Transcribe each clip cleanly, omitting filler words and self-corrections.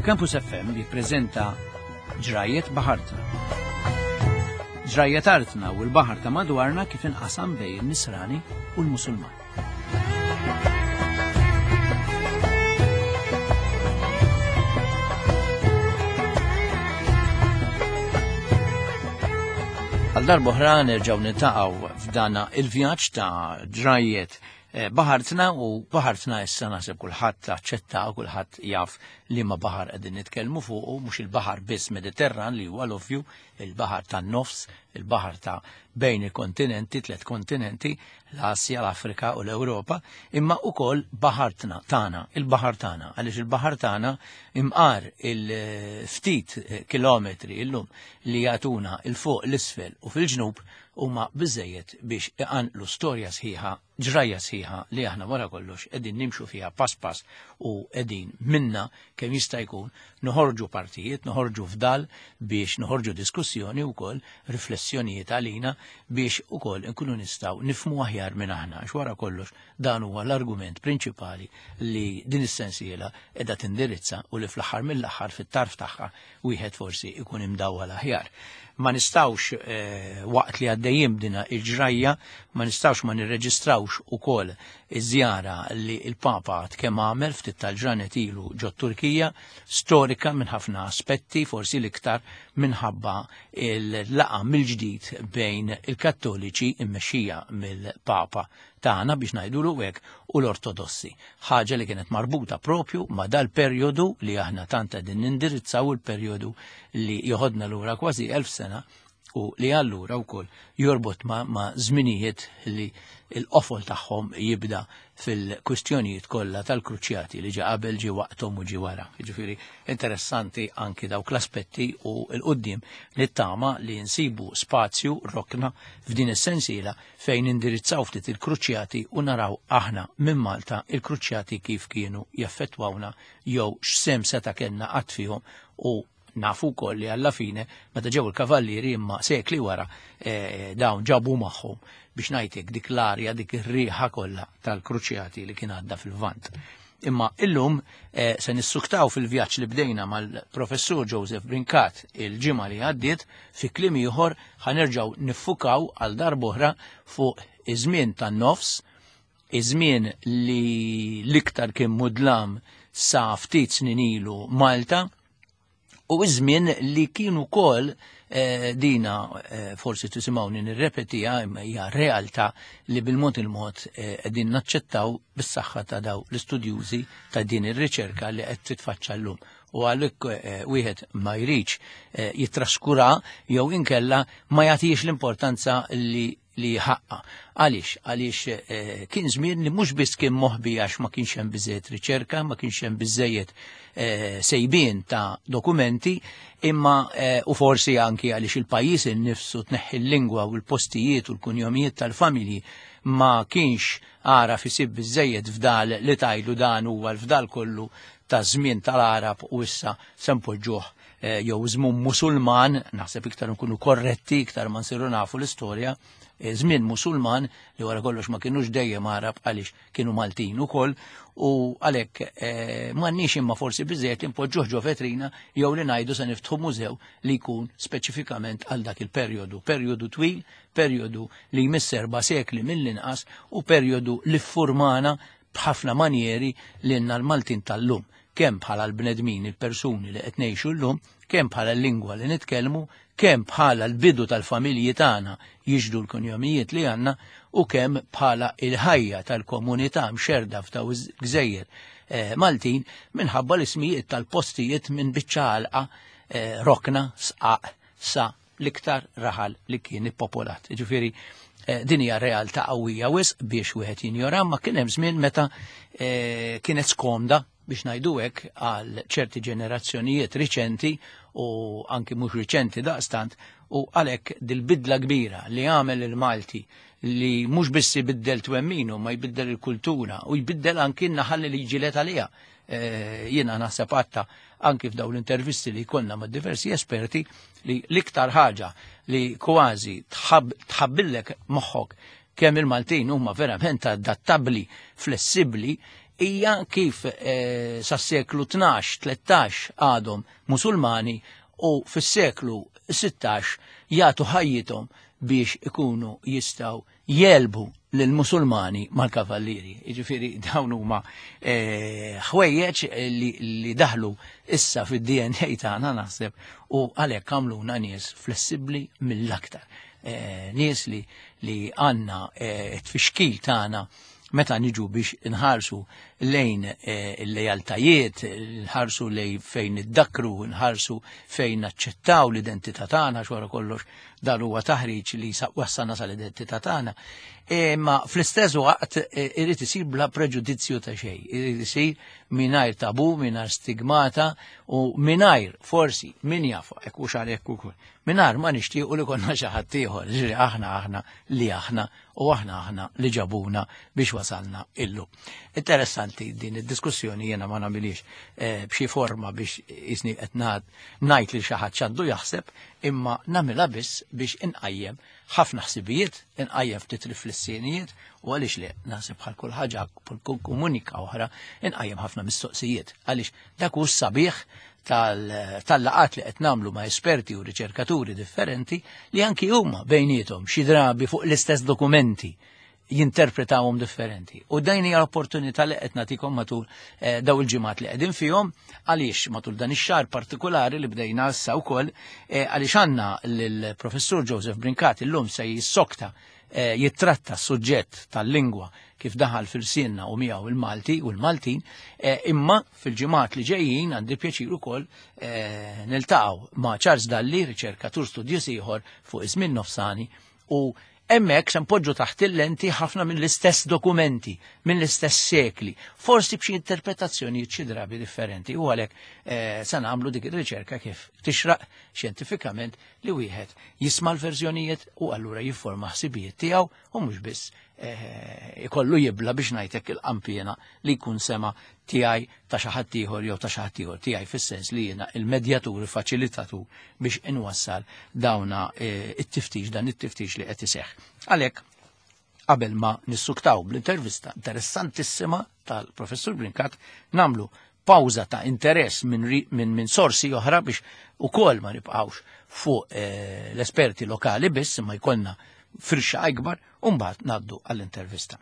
Campus FM jippreżenta Ġrajiet Baħartna. Ġrajiet artna u l-baħar ta' madwarna kif inqasam bejn in-Nisrani u l-Musulman. Għal darbohra nerġgħu niltaqgħu f'dana il-vjaġġ ta' ġrajiet eh, baħartna u baħartna issa naħseb kulħadd aċċetta u kulħadd jaf li ma baħar qegħdin nitkellmu fuqu mhux il-baħar biss Mediterran li huwa l-ovvju, il-baħar tan-nofs, il-baħar ta' bejn il-kontinenti, tliet kontinenti, l-Asja, l-Afrika u l-Ewropa, imma ukoll baħartna tagħna, il-baħar tagħna, għaliex il-baħar tagħna imqar il-ftit kilometri illum li jagħtuna il fuq l-isfel u fil-ġnub huma biżejjed biex iqanqlu storja sħiħa, ġrajja sħiħa li aħna wara kollox qegħdin nimxu fiha pass pass u qegħdin minna kemm jista' jkun noħorġu partijiet, noħorġu fdal biex noħorġu diskussjoni wkoll riflessjonijiet għalina biex ukoll inkunu nistgħu nifhmu aħjar minn aħna għax wara kollox dan huwa l-argument prinċipali li din is-sensiela qiegħda tindirizza u li fl-aħħar mill-aħħar fit-tarf tagħha wieħed forsi ikun imdawwal aħjar. Ma nistawx eh, waqt li għaddejjin b'dina il-ġrajja, ma nistawx ma nirreġistrawx ukoll iż-żjara li il-Papa kemm għamel ftit tal-ġranet ilu ġo Turkija, storika minn ħafna aspetti, forsi l-iktar minħabba il-laqa mill-ġdid bejn il-Kattoliċi immexxija mill-Papa tagħna biex ngħidulu hekk u l-Ortodossi. Ħaġa li kienet marbuta propju ma' dal-perjodu li aħna tant qegħdin nindirizzaw il-perjodu li joħodna lura kważi 1000 sena u li allura wkoll jorbot ma', ma żminijiet li l-qofol tagħhom jibda fil-kwistjonijiet kollha tal-kruċjati li ġi qabel ġi waqthom u ġi wara. Jiġifieri interessanti anki dawk l-aspetti u l-qudiem li tama li nsibu spazju rokna f'din is-sensiela fejn nindirizzaw ftit il-kruċjati u naraw aħna minn Malta il-kruċjati kif kienu jaffettwawna jew x'sehem seta' kellna qatt fihom u nafu wkoll li alla fine meta ġew il-kavallieri imma sekli wara eh, dawn ġabu magħhom biex ngħidlek dik l-arja dik ir-riħa kollha tal-kruċjati li kien għadda fil-Vant. Imma illum eh, se nissuktaw fil-vjaġġ li bdejna mal-professur Joseph Brincat il-ġimgħa li għaddiet fi kliem ieħor ħanerġgħu niffukaw għal darb'oħra fuq iż-żmien tan-nofs, iż-żmien li l-iktar kien mudlam sa ftit snin ilu Malta, u iż-żmien li kien ukoll eh, dina eh, forsi tisimgħuni nirrepetiha imma hija realtà li bil-mod il-mod eh, qegħdin naċċettaw bis-saħħa ta' daw l-istudjużi ta' din ir-riċerka li qed titfaċċa llum. U għalhekk wieħed ma jridx jittraskura jew inkella ma jagħtix l-importanza li li ħaqqa. Għaliex? Għaliex eh, kien żmien li mhux biss kien moħbi għax ma kienx hemm biżejjed riċerka, ma kienx hemm biżejjed eh, sejbien ta' dokumenti, imma eh, u forsi anki għaliex il-pajjiż innifsu tneħħi l-lingwa u l-postijiet u l-kunjomijiet tal-familji ma kienx għaraf isib biżejjed fdal li tajlu dan huwa l-fdal kollu ta' żmien tal-Arab u issa se npoġġuh Eh, jew żmien Musulman, naħseb iktar nkunu korretti, iktar ma nsiru nafu l-istorja, eh, żmien Musulman li wara kollox ma kienux dejjem Arab għaliex kienu Maltin ukoll u għalhekk eh, m'għandniex imma forsi biżejjed li npoġġuh ġo vetrina jew li ngħidu se niftħu mużew li jkun speċifikament għal dak il-perjodu, perjodu twil, perjodu li jmiss erba' sekli mill-inqas u perjodu li ffurmana b'ħafna manjeri lilna l-Maltin tal-lum kemm bħala l-bnedmin, il-persuni li qed ngħixu llum, kemm bħala l-lingwa li nitkellmu, kemm bħala l-bidu tal-familji tagħna jixhdu l-kunjomijiet li għandna u kemm bħala il-ħajja tal-komunità mxerda f'daw gżejjer eh, Maltin minħabba l-ismijiet tal-postijiet minn biċċa għalqa eh, rokna, sqaq, sa l-iktar raħal li kien ippopolat. Ġifieri eh, din hija realtà qawwija wisq biex wieħed jinjora, ma kien hemm żmien meta eh, kienet skomda biex ngħidu hekk għal ċerti ġenerazzjonijiet riċenti u anki mhux riċenti daqstant u għalhekk dil-bidla kbira li għamel il-Malti li mhux biss ibiddel twemminu ma jbiddel il-kultura u jbiddel anki n-naħal li jġilet għaliha. Eh, jiena naħseb għatta anki f'daw l-intervisti li jkollna ma' diversi esperti li l-iktar ħaġa li kważi tħabbillek moħħok kemm il-Maltin huma verament adattabbli, flessibbli, hija kif eh, sas-seklu 12, 13 għadhom Musulmani u fis-seklu 16 jagħtu ħajjithom biex ikunu jistgħu jelbu lill-Musulmani mal-kavallieri. Jiġifieri dawn huma eh, ħwejjeġ li, li daħlu issa fid-DNA tagħna naħseb u għalhekk għamluna nies flessibbli mill-aktar. Eh, nies li li għandna eh, t-tfixkil tagħna meta niġu biex nħarsu lejn eh, il-lejaltajiet, nħarsu lejn fejn iddakru, nħarsu fejn naċċettaw l-identità tagħna xwara kollox dan huwa taħriġ li wassalna sal-identità tagħna. Imma fl-istess waqt eh, irid isir bla preġudizzju ta' xejn, irid isir mingħajr tabu, mingħajr stigmata u mingħajr forsi min jaf hekk hux għalhekk ukoll. Mingħajr ma nixtiequ li konna xi ħadd ieħor, ġifieri aħna aħna li aħna u aħna aħna li ġabuna biex wasalna illu. Interessanti din id-diskussjoni jiena ma nagħmilix eh, b'xi forma biex jisni qed ngħid li xi ħadd x'għandu jaħseb, imma nagħmilha biss biex inqajjem ħafna ħsibijiet, inqajjem ftit riflessjonijiet u għaliex le naħseb bħal kull ħaġa kull komunika oħra inqajjem ħafna mistoqsijiet għaliex dak hu sabiħ tal-laqat li qed nagħmlu ma' esperti u riċerkaturi differenti li anki huma bejniethom xi drabi fuq l-istess dokumenti jinterpretawhom differenti. U dajn hija l-opportunità li qed nagħtikom matul eh, daw il-ġimgħat li qegħdin fihom għaliex matul dan ix-xahar partikolari li bdejna issa wkoll eh, għaliex għandna lill-Professur Joseph Brincat illum se jissokta eh, jittratta s-suġġett tal-lingwa kif daħal fil-sinna u miegħu il-Malti u l-Maltin, eh, imma fil-ġimgħat li ġejjin għandi pjaċir ukoll eh, niltaqgħu ma' Charles Dalli, riċerkatur studjuż ieħor fuq iż-żmien nofsani u hemmhekk se npoġġu taħt il-lenti ħafna mill-istess dokumenti, mill-istess sekli, forsi b'xi interpretazzjonijiet xi drabi differenti u għalhekk eh, se nagħmlu dik ir-riċerka kif tixraq xjentifikament li wieħed jisma' l-verżjonijiet u allura jifforma ħsibijiet tiegħu u mhux biss eh, ikollu jibla biex ngħidlek il-qampiena li jkun sema tiegħi ta' xi ħadd ieħor jew ta' xi ħadd ieħor tiegħi fis-sens li jiena il-medjatur, il-faċilitatur biex inwassal dawna eh, it-tiftix dan it-tiftix li qed iseħħ. Għalhekk qabel ma nissuktaw bl-intervista interessantissima tal-professur Brinkat namlu pawża ta' interess minn min, min sorsi oħra biex ukoll ma nibqgħux fuq eh, l-esperti lokali biss imma jkollna firxa ikbar u mbagħad ngħaddu għall-intervista.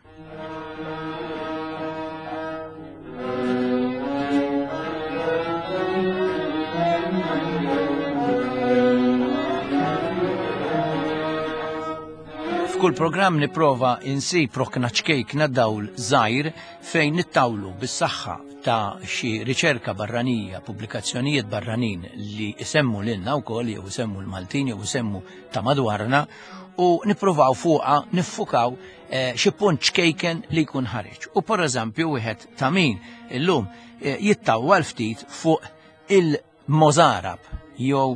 F'kull programm nipprova insib rokna ċkejkna dawl żgħir fejn nittawlu bis-saħħa ta' xi riċerka barranija, pubblikazzjonijiet barranin li isemmu lilna wkoll jew isemmu l-Maltin jew isemmu ta' madwarna u nippruvaw fuqha niffukaw eh, xi punt ċkejken li jkun ħareġ. U per eżempju wieħed ta' min illum eh, jittawwal ftit fuq il-Mozarab jew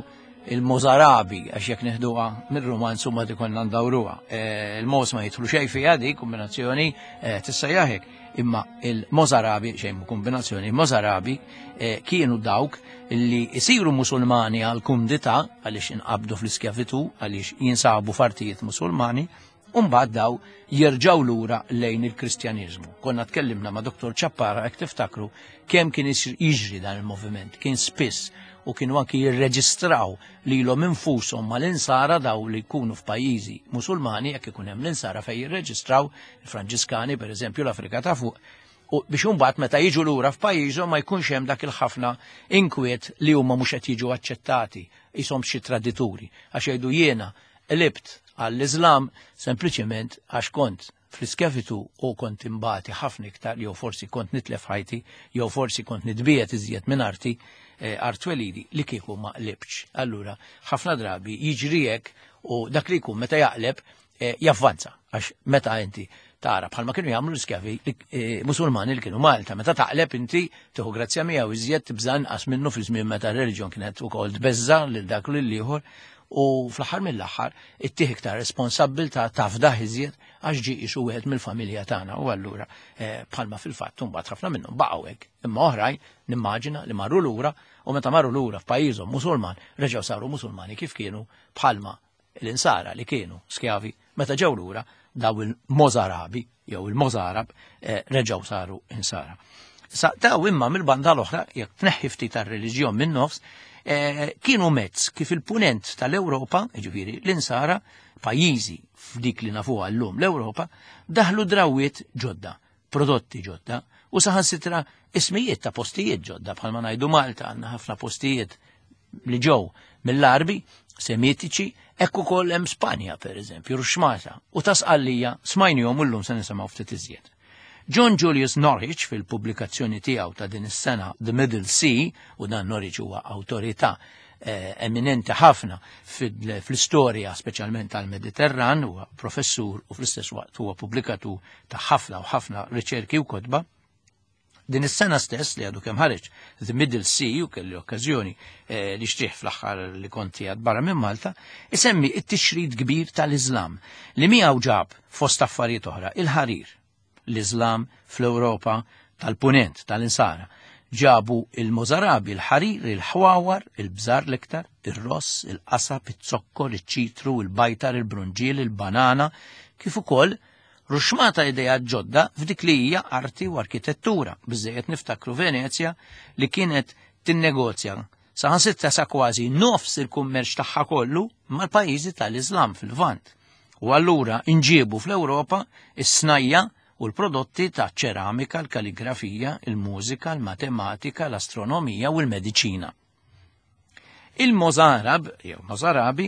il-Mozarabi għax jekk neħduha mir-romanz huma dikonna ndawruha. Eh, il-Moz ma jidħlu xejn fiha di kombinazzjoni tissejjaħ hekk. Imma il-Mozarabi, xejn kombinazzjoni, il-Mozarabi kienu dawk li jisiru musulmani għal kumdità għaliex inqabdu fl-iskjavitu, għaliex jinsabu f'artijiet musulmani, u mbagħad daw jerġgħu lura lejn il-Kristjaniżmu. Konna tkellimna ma' Dr. Ċappara hekk tiftakru kemm kien jiġri dan il-moviment, kien spiss u kienu anki jirreġistraw lilhom infushom mal-insara daw li jkunu f'pajjiżi musulmani jekk ikun hemm l-insara fejn jirreġistraw il-Franġiskani pereżempju l-Afrika ta' fuq u biex imbagħad meta jiġu lura f'pajjiżhom ma jkunx hemm dak il-ħafna inkwiet li huma mhux qed jiġu aċċettati qishom xi tradituri għax jgħidu jiena qlibt għall-Iżlam sempliċement għax kont fl-iskjavitu u kont imbati ħafna iktar jew forsi kont nitlef ħajti jew forsi kont nitbiet iżjed minn arti eh, art twelidi li kieku ma qlibx. Allura ħafna drabi jiġri hekk u dak li jkun meta jaqleb eh, javvanza għax meta inti tara bħalma kienu jagħmlu l-iskjavi eh, musulmani li kienu Malta, meta taqleb inti tieħu grazzja miegħu iżjed tibża' inqas minnu fi żmien meta r-reliġjon kienet ukoll tbeżża lil dak lil ieħor u fl-aħħar mill-aħħar ittih iktar responsabbiltà tafdah iżjed għax ġie qisu wieħed mill-familja tagħna u allura eh, bħalma fil-fatt imbagħad ħafna minnhom baqgħu hekk imma oħrajn nimmaġina li marru lura u meta marru lura f'pajjiżhom Musulman reġgħu saru Musulmani kif kienu bħalma l-insara li kienu skjavi meta ġew lura daw il-Mozarabi jew il-Mozarab eh, reġgħu saru insara. Sa daw imma mill-banda l-oħra, jekk tneħħi ftit tar-reliġjon minn nofs, eh, kienu mezz kif il-punent tal-Ewropa, jiġifieri l-insara, pajjiżi f'dik li nafuha llum l-Ewropa, daħlu drawiet ġodda, prodotti ġodda u saħansitra ismijiet ta' postijiet ġodda bħalma ngħidu Malta għandna ħafna postijiet li ġew mill-Arbi, Semitiċi, hekk ukoll hemm Spanja pereżempju, Ruxmata, u ta' Sqallija smajnihom u llum se nisimgħu ftit iżjed. John Julius Norwich fil-pubblikazzjoni tiegħu ta' din is-sena The Middle Sea, u dan Norwich huwa awtorità eh, eminenti ħafna fl-istorja speċjalment tal-Mediterran, huwa professur u fl-istess waqt huwa pubblikatur ta' ħafna u ħafna riċerki u kotba. Din is-sena stess li għadu kemm ħareġ The Middle Sea u kelli okkażjoni eh, li xtrih fl-aħħar li konti għad barra minn Malta, isemmi it-tixrid kbir tal-Iżlam li miegħu ġab fost affarijiet oħra il-ħarir. L-Iżlam fl-Ewropa tal-Punent tal-Insara ġabu il-Mozarabi, il-ħarir, il-ħwawar, il-bżar l-iktar, ir-ross, il-qasab, iz-zokkor, iċ-ċitru, il-bajtar, il-brunġiel, il-banana, kif ukoll ruxmata ideat ġodda f'dik li hija arti u arkitettura. Biżejjed niftakru Venezja li kienet tinnegozja saħansitra sa kważi nofs il-kummerċ tagħha kollu mal-pajjiżi tal-Iżlam fil-Lvant. U allura inġiebu fl-Ewropa is-snajja u l-prodotti ta' ċeramika, l-kaligrafija, il-mużika, l-matematika, l-astronomija u l-mediċina. Il-Mozarab, jew Mozarabi,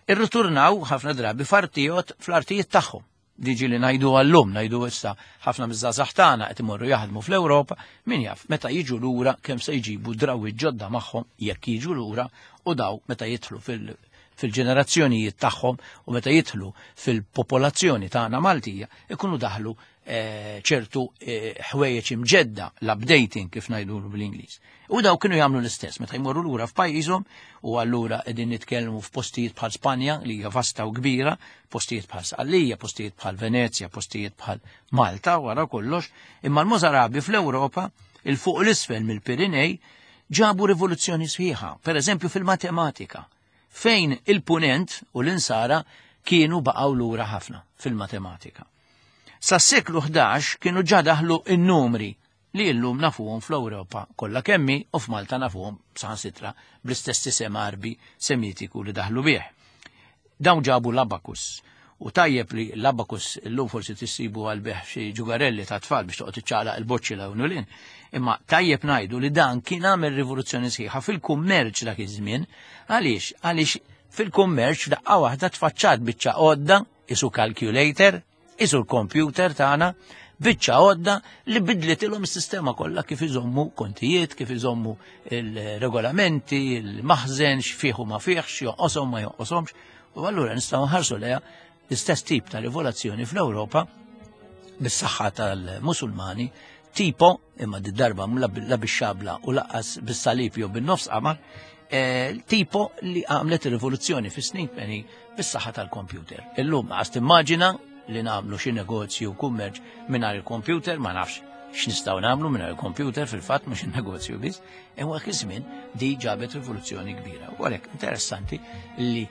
irriturnaw ħafna drabi f'artijiet fl-artijiet tagħhom. Diġi li ngħidu għallum, ngħidu issa ħafna miż-żgħażagħ tagħna qed imorru jaħdmu fl-Ewropa, min jaf meta jiġu lura kemm se jġibu drawiet ġodda magħhom jekk jiġu lura u daw meta jidħlu fil-ġenerazzjonijiet tagħhom u meta jidħlu fil-popolazzjoni tagħna Maltija ikunu daħlu eh, ċertu eh, ħwejjeġ imġedda, l-updating kif ngħidu bl-Ingliż. U daw kienu jagħmlu l-istess meta jmorru lura f'pajjiżhom u allura qegħdin nitkellmu f'postijiet bħal Spanja li hija vasta u kbira, postijiet bħal Sqallija, postijiet bħal Venezja, postijiet bħal Malta wara kollox, imma l-Mozarabi fl-Ewropa il fuq l-isfel mill-Pirinej ġabu rivoluzzjoni sħiħa, per eżempju fil-matematika, fejn il-punent u l-insara kienu baqgħu lura ħafna fil-matematika. Sas-seklu 11 kienu ġa daħlu n-numri li llum nafuhom fl-Ewropa kollha kemm hi u f'Malta nafuhom saħansitra bl-istess isem Għarbi Semitiku li daħlu bih. Dawn ġabu l-abakus. U tajjeb li l-abakus illum forsi tissibu għal beħ xi ġugarelli ta' tfal biex toqgħod iċċaqlaq il-boċċi l hawn u Imma tajjeb ngħidu li dan kien għamel rivoluzzjoni sħiħa fil-kummerċ dak iż-żmien. Għaliex? Għaliex fil-kummerċ daqqa waħda tfaċċat biċċa għodda isu calculator, isu l-computer tagħna, biċċa għodda li bidlitilhom is-sistema kollha kif iżommu kontijiet, kif iżommu il-regolamenti, il-maħżen, x'fih u ma fihx, jonqoshom ma jonqoshomx. U allura nistgħu nħarsu leha l-istess tip ta' rivoluzzjoni fl-Ewropa bis-saħħa tal-Musulmani tipo imma di darba la bix-xabla u laqqas bis-salib jew bin-nofs qamar, eh, tipo li għamlet rivoluzzjoni fis-snin 80 bis-saħħa tal-kompjuter. Illum għas timmaġina li nagħmlu xi negozju u kummerċ mingħajr il-kompjuter, ma nafx x'nistgħu nagħmlu mingħajr il-kompjuter fil-fatt mhux in-negozju biss, imma dak iż-żmien di ġabet rivoluzzjoni kbira. U għalhekk interessanti li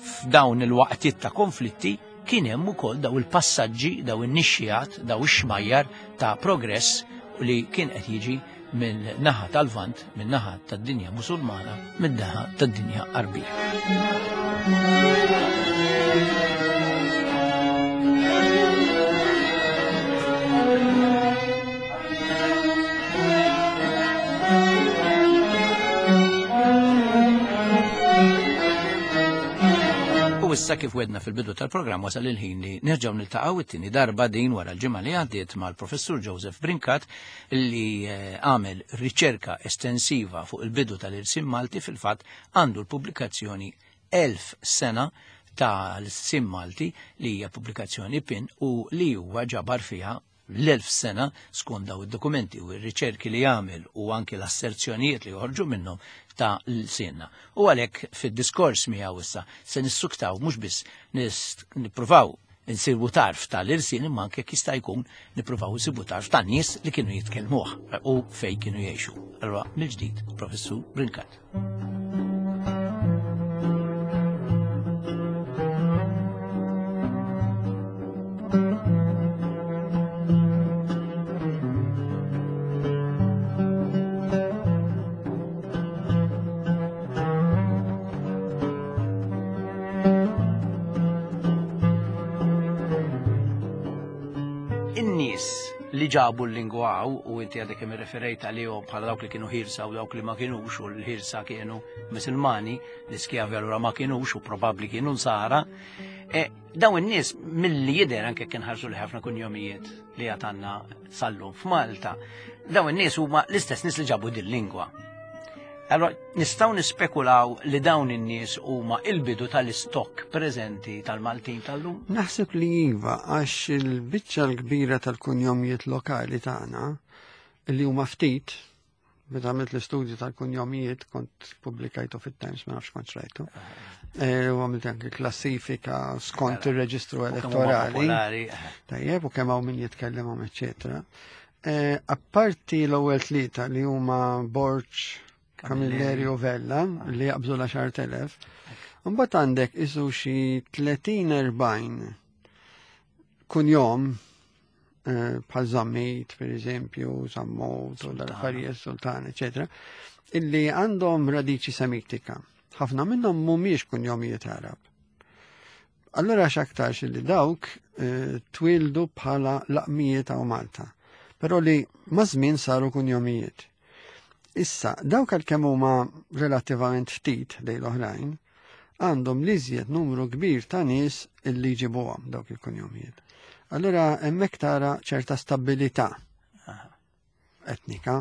f'dawn il-waqtiet ta' konflitti kien hemm ukoll daw il-passaġġi, daw in-nixxijat, daw ix-xmajjar ta' progress li kien qed jiġi minn naħa tal-Lvant, minn naħa tad-dinja Musulmana, minn naħa tad-dinja Arbija. U issa kif wedna fil-bidu tal-programm wasal il-ħin li nerġgħu niltaqgħu it-tieni darba din wara l-ġimgħa li għaddiet mal-Professur Joseph Brincat li eh, għamel riċerka estensiva fuq il-bidu tal-irsim Malti fil-fatt għandu l-pubblikazzjoni Elf sena tal-sim Malti li hija pubblikazzjoni pin u li huwa ġabar fiha l-1000 sena skont daw id-dokumenti u r-riċerki li għamel u anki l-asserzjonijiet li joħorġu minnhom ta' l-sinna. U għalhekk fid-diskors miegħu issa se nissuktaw mhux biss nippruvaw nsibu tarf tal-irsin imma anke jista' jkun nippruvaw nsibu tarf tan-nies li kienu jitkellmuh u fejn kienu jgħixu. Allura mill-ġdid, Professur Brincat. In-nies li ġabu l-lingwa hawn, u inti għadek kemm irreferejt għalihom bħala dawk li kienu ħirsa u dawk li ma kinux, u l-ħirsa kienu Musulmani, l-iskjavi allura ma kinux u probabbli kienu nsara, e, dawn in-nies milli jidher anke kien ħarsu li ħafna kunjomijiet li għatanna sallum f'Malta, dawn in-nies huma l-istess nies li ġabu din lingwa. Allora, nistgħu nispekulaw li dawn in-nies huma il-bidu tal-istokk preżenti tal-Maltin tal-lum? Naħseb li iva, għax il-biċċa l-kbira tal-kunjomijiet lokali tagħna li huma ftit, meta għamilt l-istudju tal-kunjomijiet kont pubblikajtu fit-Times ma nafx kont rajtu. E, u għamilt anke klassifika skont mela, ir-reġistru elettorali. Tajjeb, u kemm hawn min jitkellimhom, eċetera. Eh, apparti l-ewwel tlieta li huma Borġ, Camilleri u Vella li jaqbżu l-10,000, mbagħad għandek isu xi 30-40 kunjom eh, bħal Zammit, per eżempju, Zammot, u l-affarijiet Sultan, eċetera, illi għandhom radiċi semitika. Ħafna minnhom mhumiex kunjomijiet Arab. Allura x'aktarx li dawk eh, twildu bħala laqmijiet għaw Malta, però li maż-żmien saru kunjomijiet. Issa, dawk għalkemm huma relattivament ftit lejn l-oħrajn, għandhom li iżjed numru kbir ta' nies illi jġibuhom dawk il-kunjomijiet. Allura hemmhekk tara ċerta stabilità etnika.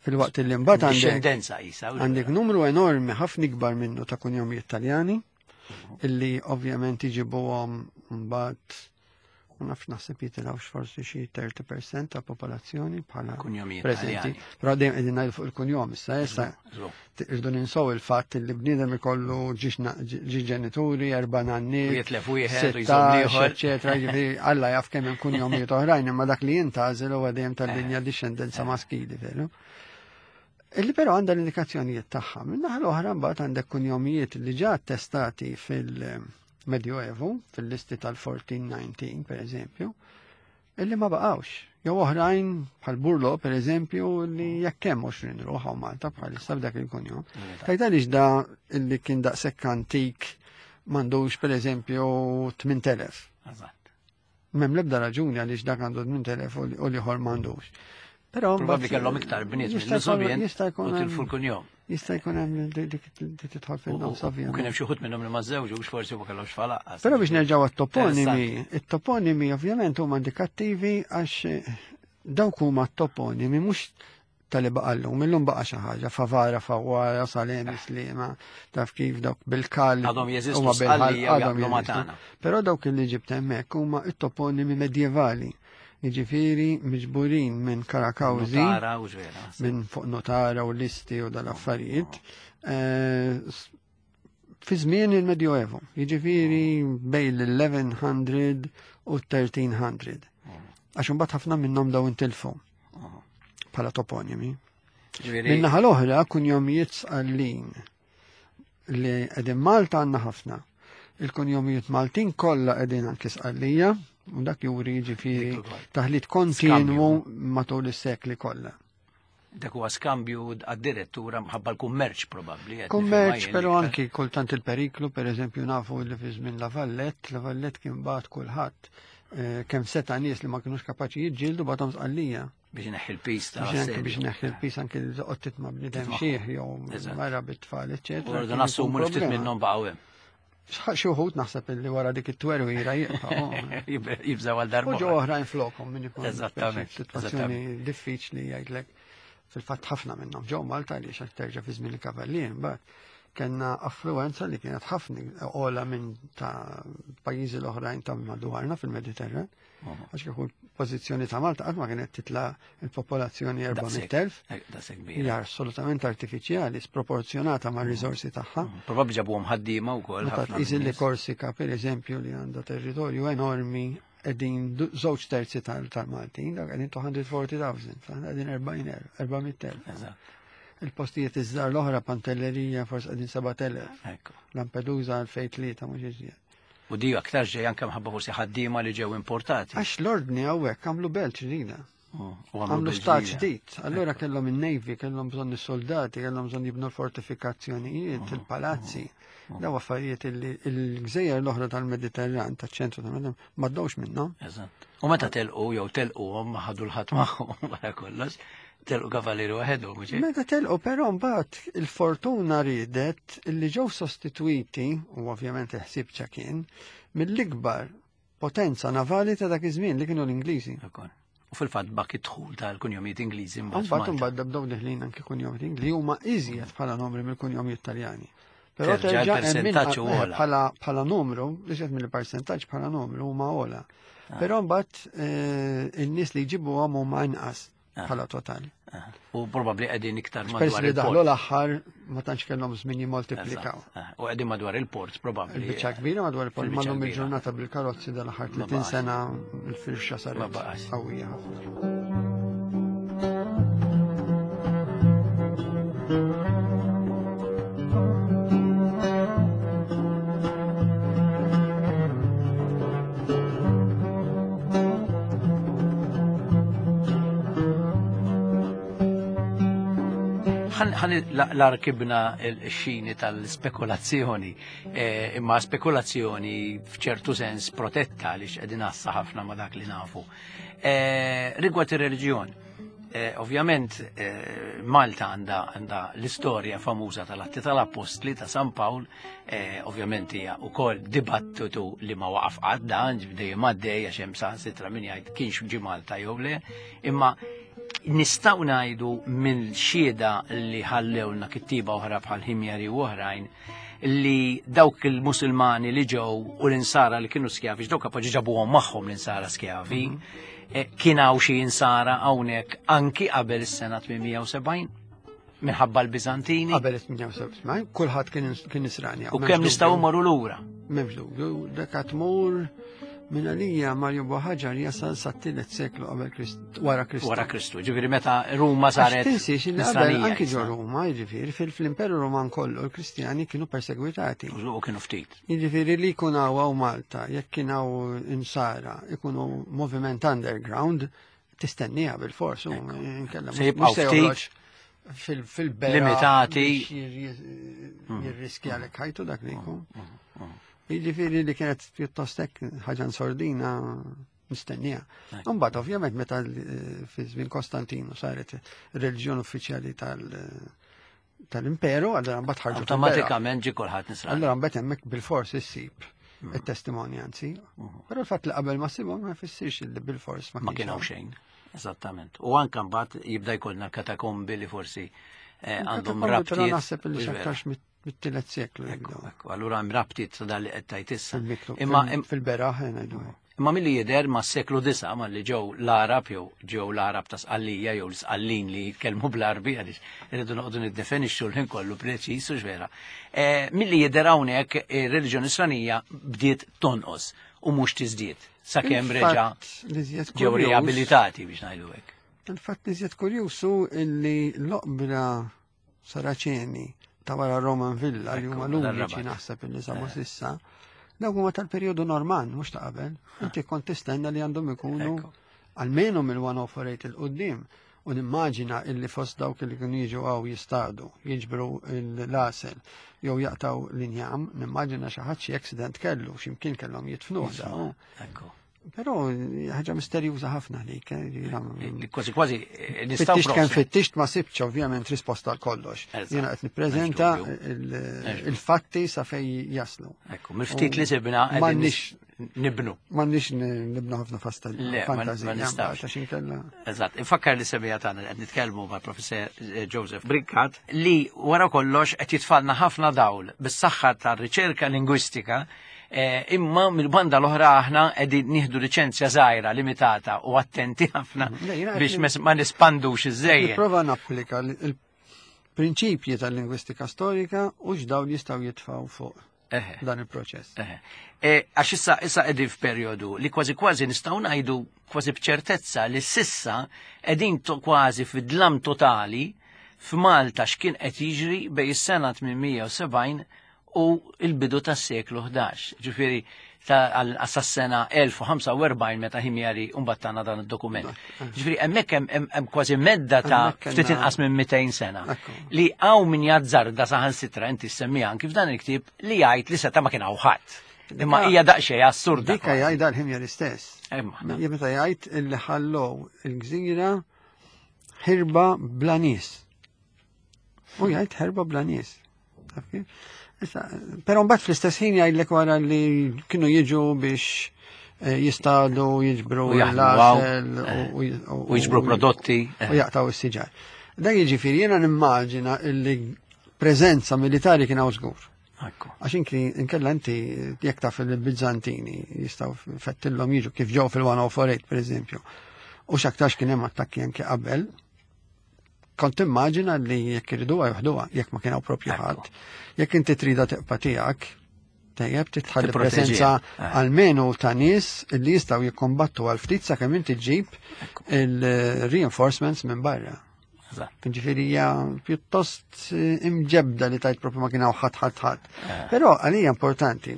Fil-waqt li mbagħad għandek għandek numru enormi ħafna ikbar minnu ta' kunjomijiet Taljani illi ovvjament iġibuhom mbagħad ma nafx naħseb jitilgħu forsi xi 30% ta' popolazzjoni bħala preżenti. Però dejjem qegħdin ngħidu fuq il-kunjom issa issa irdu ninsow il-fatt li bniedem ikollu ġi ġenituri, erba' nanniet, jitlef wieħed u jżomm ieħor, eċetera, jiġifieri Alla jaf kemm hemm kunjomijiet oħrajn, imma dak li jintgħażel huwa dejjem tal-linja dixxendenza eh. maskili, veru? Illi però għandha l-indikazzjonijiet tagħha. Min-naħa l-oħra mbagħad għandek kunjomijiet li ġa attestati fil-Medjoevu, fil-listi tal-1419 per eżempju, illi ma baqgħux. Jew oħrajn bħal Burlo per eżempju li jekk hemm 20 ruħ hawn Malta bħalissa b'dak il-kunjom. Tajt għaliex da illi kien daqshekk antik m'għandux per eżempju 8000. M'hemm l-ebda raġuni għaliex dak għandu 8000 u l-ieħor m'għandux. Però probabbli kellhom iktar bniet mill-Sobjen jista' jkun tilfu l-kunjom. Jista' jkun hemm dik tidħol fin-nofs ovvjament. U kien hemm xi wħud minnhom li ma żewġux forsi ma kellhomx falaqqas. Però biex nerġgħu għat-toponimi, it-toponimi ovvjament huma indikattivi għax dawk huma t-toponimi mhux tal-li baqa l-lum, illum baqa xi ħaġa, Favara, Fawara, Salemi, Slima, taf kif dawk bil-kal. Għadhom jeżistu għadhom jeżistu. Però dawk li ġibt hemmhekk huma it-toponimi medjevali. Jiġifieri miġburin minn Karakawzi, minn fuq notara u listi u dal-affarijiet. Eh, fi żmien il-Medjoevo, jiġifieri bejn l-1100 u 1300. Għax imbagħad ħafna minnhom daw intilfu bħala toponimi. Minnaħa l-oħra kunjomijiet sqallin li qegħdin Malta għandna ħafna. Il-kunjomijiet Maltin kollha qegħdin anki sqallija u dak juri jiġifieri taħlit kontinwu matul is-sekli kollha. Dak huwa skambju għad-direttura mħabba l-kummerċ probabbli. Kummerċ, però anki kultant il-periklu, per eżempju nafu li fi żmien La Vallette, La Vallette kien bagħat kulħadd eh, kemm seta' nies li ma kinux kapaċi jiġġieldu bagħthom sqallija. Biex neħħi l-pis ta' biex neħħi l-pis anki li toqgħod titma' bniedem xieħ jew mara bit-tfal, eċetera. Urdu nassumu li ftit minnhom baqgħu hemm. Xi wħud naħseb illi wara dik it-twerwira jibqgħu. Jibżgħu għal darba. U ġew oħrajn flokhom min ikun. Eżattament. Sitwazzjoni diffiċli jgħidlek fil-fatt ħafna minnhom ġew Malta li xak terġa' fi żmien il-kavallier mbagħad kellna affluenza li kienet ħafna ola minn ta' pajjiżi l-oħrajn ta' madwarna fil-Mediterran. Għax kieku l-pożizzjoni ta' Malta qatt ma kienet titla' il-popolazzjoni 400,000. Eh, Hija assolutament artifiċjali, sproporzjonata ma' riżorsi tagħha. Mm, probabbli ġabuhom ħaddiema wkoll. Meta tqis li Korsika pereżempju li għandha territorju enormi qegħdin żewġ terzi tal-Maltin, dak qegħdin 240,000, qegħdin 400,000. Il-postijiet iż-żgħar l-oħra Pantellerija forsi qegħdin 7,000. Lampedusa 2003 mhux iżjed. U di aktar ġej anke mħabba forsi ħaddiema li ġew importati. Għax l-ordni hawnhekk għamlu belt ġdida. U Għamlu belt stat ġdida. ġdid. Allura kellhom in-navy, kellhom bżonn is-soldati, kellhom bżonn jibnu l-fortifikazzjonijiet, il-palazzi. Daw affarijiet illi l-gżejjer l-oħra tal-Mediterran, taċ-ċentru tal-Mediterran, ma ddewx minnhom. Eżatt. U meta telqu jew telquhom ma ħadu l-ħadd magħhom wara kollox, telqu kavalieri waħedhom, mhux hekk? Meta telqu però mbagħad il-fortuna riedet illi ġew sostitwiti, u ovvjament il-ħsieb ċa kien, mill-ikbar potenza navali ta' dak iż-żmien li kienu l-Ingliżi. Ukoll. U fil-fatt bak id-dħul tal-kunjomijiet Ingliżi mbagħad Mbagħad f'Malta. imbagħad bdew deħlin anke kunjomijiet li huma iżjed bħala numri mill-kunjomijiet Taljani. Però Terġa' terġa' hemm min- il-persentaġġ huwa ogħla. bħala numru, iżjed mill-persentaġġ bħala numru huma ogħla. Però mbagħad in-nies li jġibuhom huma inqas bħala total. Ah. U probabbli qegħdin iktar Pers madwar li daħlu il-port. l-aħħar ma tantx kellhom żmien jimmoltiplikaw. Eżatt. Ah. U qegħdin madwar il-port probabbli. Il-biċċa kbira madwar il-port, Fil-biċċa ma' kbira. il-ġurnata bil-karozzi dal-aħħar Ma 30 baqax. sena il-firxa Ma saret baqax. qawwija ħafna. Ħan la rkibna l-xini tal-spekulazzjoni, imma spekulazzjoni f'ċertu sens protetta li qegħdin għassa ħafna ma dak li nafu. Rigward ir-reliġjon, ovvjament Malta għandha l-istorja famuża tal-Atti tal-Appostli ta' San Pawl, ovvjament hija wkoll dibattitu li ma waqaf qatt dan, dejjem għaddej għax hemm saħansitra min jgħid kienx ġie Malta jew le, imma nistgħu ngħidu mill-xhieda li ħallewna kittiba oħra bħal Ħimjari u oħrajn li dawk il-Musulmani li ġew u l-insara li kienu skjavi, dawk kapaċi ġabuhom magħhom l-insara skjavi, kien hawn xi insara hawnhekk anki qabel is-sena 870 minħabba l-Biżantini Qabel 78, kulħadd kien Nisrani. u kemm nistgħu mmorru lura. M'hemmx dubju, dak tmur minn għalija Mario Buhaġar jasal sat-tielet seklu qabel Kristu, wara Kristu. Wara Kristu, ġifieri meta Ruma Għax saret tinsiex li qabel Nisranija anki ġo issa. Ruma, jiġifieri fil-Imperu Roman kollu l-Kristjani kienu persegwitati. U kienu ftit. Jiġifieri li jkun hawn Malta, jekk kien hawn insara, ikunu moviment underground, tistennija bil-fors, u inkella Se mhux jibqgħu se ftit. joħroġ fil-bera Limitati. biex jirriskja lek ħajtu dak li jkun. Jiġifieri li kienet pjuttost hekk ħaġa nsordina mistennija. Imbagħad ovvjament meta fi żmien Kostantinu saret ir-reliġjon uffiċjali tal-imperu, allura mbagħad ħarġu fil-bera. Awtomatikament ġie kulħadd Nisrani. Allura mbagħad hemmhekk bil-fors issib it-testimonjanzi. Però l-fatt li qabel ma ssibhom ma jfissirx li bil-fors ma Ma kienx kien hawn hawn. xejn. Eżattament. U anke mbagħad jibda jkollna l-katakombi li forsi għandhom Katakombi, Però rabtiet. naħseb li Mhux vera. x'aktarx mit-tielet seklu Ekku, jibdew. ekku, allura hemm rabtiet ta' dan li qed tgħid issa. Fil-miktu- Imma fil-beraħ ngħidu hekk. Imma milli jidher ma' seklu disa' ma' li ġew l-Arab jew ġew l-Arab ta' Sqallija jew l-Sqallin li jitkellmu bl-Arbi għaliex irridu noqogħdu niddefinixxu l-ħin kollu preċiż u x'vera. Milli jidher hawnhekk ir-reliġjoni Nisranija bdiet tonqos u mhux tiżdied sakemm reġa' Il-fatt li żjed ġew kurjuż- riabilitati biex ngħidu hekk. Il-fatt li żjed kurjuż hu illi l-oqbra Saraċeni ta' wara Roman Villa li Ekku, huma l-uniċi dar-Rabat. naħseb illi sabu sissa, dawk huma tal-perjodu Norman, mhux ta' qabel. Inti kont tistenna li għandhom ikunu Ekku. almenu mill-148 il-qoddim. U nimmaġina illi fost dawk li kienu jiġu għaw jistadu, jiġbru l-asel, jew jaqtaw l-injam, nimmaġina xi ħadd xi accident kellu, x'imkien kellhom jitfnuh daw. Ekku. Però ħaġa misterjuża ħafna dik, Li Kważi kważi nistgħu Fittixt kemm prof. fittixt ma sibx ovvjament risposta għal kollox. Eżatt. Jiena qed nippreżenta M'hemmx dubju. il-fatti sa fej jaslu. Ekku, mill-ftit li sibna qegħdin M'għandniex nibnu. m'għandniex nibnu ħafna fasta Le, ma fantazija nistgħux. mbagħad, għax inkella. Eżatt, infakkar li semija tagħna li qed nitkellmu mal-Professor Joseph Brincat li wara kollox qed jitfalna ħafna dawl bis-saħħa tar-riċerka lingwistika imma mill-banda l-oħra aħna qegħdin nieħdu liċenzja żgħira limitata u attenti ħafna Le, jiena qed biex ma nispandux iż-żejjed. Nipprova napplika il-prinċipji tal-lingwistika storika u x'dawl jistgħu jitfgħu fuq Eħe. dan il-proċess. Eħe. Għax issa qegħdin f'perjodu li kważi kważi nistgħu ngħidu kważi b'ċertezza li sissa qegħdin kważi fid-dlam totali f'Malta x'kien qed jiġri bejn is-sena 870 u l-bidu tas-seklu 11. Ġifieri għas-sena 1045 meta Ħimjari mbagħad tana dan id-dokument. Ġifieri hemmhekk hemm kważi medda ta' ftit inqas minn 200 sena li hawn min jazzarda saħansitra inti ssemmiha anki f'dan il-ktieb li jgħid li seta' ma kien hawn ħadd. Imma hija daqsxejn assurda. Dika jgħidha l-Ħimjari stess. Meta jgħid illi ħallew il-gżira ħirba bla nies. U jgħid ħerba bla nies. Però mbagħad fl-istess ħin jgħidlek wara li kienu jiġu biex eh, jistadu, jiġbru l-għasel eh, u jiġbru prodotti. Eh. U jaqtaw is-siġar. Dan jiġifieri jiena nimmaġina illi preżenza militari kien hawn żgur. Għax inki inkella inti jekk taf il-Bizzantini jistgħu fettillhom jiġu kif ġew fil-1048 pereżempju. U x'aktarx kien hemm attakki anke qabel, kont immaġina li jekk iriduha joħduha, jekk ma kien hawn propju ħadd. Jekk inti trida teqpa' tiegħek, tajjeb titħalli preżenza eh. almenu ta' nies li jistgħu jikkombattu għal ftit sakemm inti ġġib il-reinforcements minn barra. Ġifieri hija pjuttost eh, imġebda li tajt propju ma kien hawn ħadd ħadd ħadd. Eh. Però għalija importanti